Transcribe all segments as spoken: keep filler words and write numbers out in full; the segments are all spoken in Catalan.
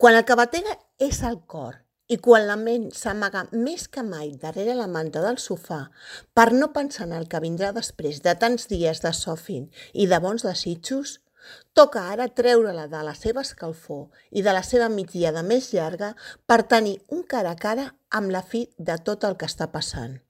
Quan el que batega és el cor i quan la ment s'amaga més que mai darrere la manta del sofà per no pensar en el que vindrà després de tants dies de sofint i de bons desitjos, toca ara treure-la de la seva escalfor i de la seva migdiada més llarga per tenir un cara a cara amb la fi de tot el que està passant.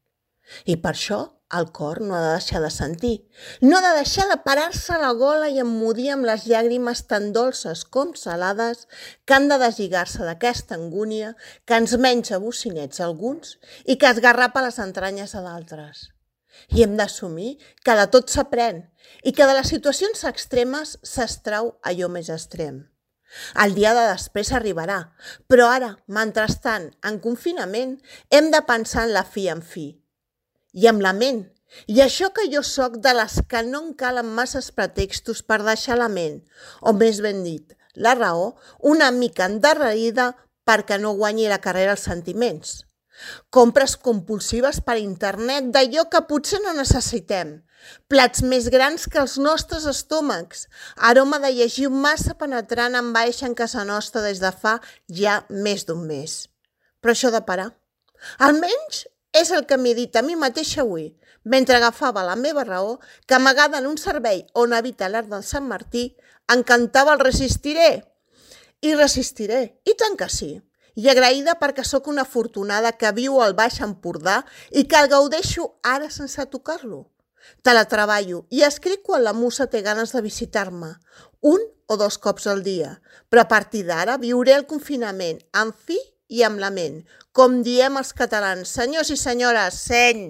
I per això el cor no ha de deixar de sentir, no ha de deixar de parar-se a la gola i emmudir amb les llàgrimes tan dolces com salades que han de deslligar-se d'aquesta angúnia que ens menja bocinets a alguns i que esgarrapa les entranyes a d'altres. I hem d'assumir que de tot s'aprèn i que de les situacions extremes s'extrau allò més extrem. El dia de després arribarà, però ara, mentrestant, en confinament, hem de pensar en la fi en fi. I amb la ment. I això que jo sóc de les que no en calen masses pretextos per deixar la ment, o més ben dit, la raó, una mica endarrerida perquè no guanyi la carrera als sentiments. Compres compulsives per internet d'allò que potser no necessitem. Plats més grans que els nostres estómacs. Aroma de llegir massa penetrant envaeixen casa nostra des de fa ja més d'un mes. Però això de parar. Almenys és el que m'he dit a mi mateixa avui, mentre agafava la meva raó, que amagada en un servei on habita l'art del Sant Martí, em cantava el resistiré. I resistiré, i tant que sí. I agraïda perquè sóc una afortunada que viu al Baix Empordà i que el gaudeixo ara sense tocar-lo. Teletreballo i escric quan la musa té ganes de visitar-me, un o dos cops al dia, però a partir d'ara viuré el confinament amb fi i amb la ment, com diem els catalans. Senyors i senyores, seny!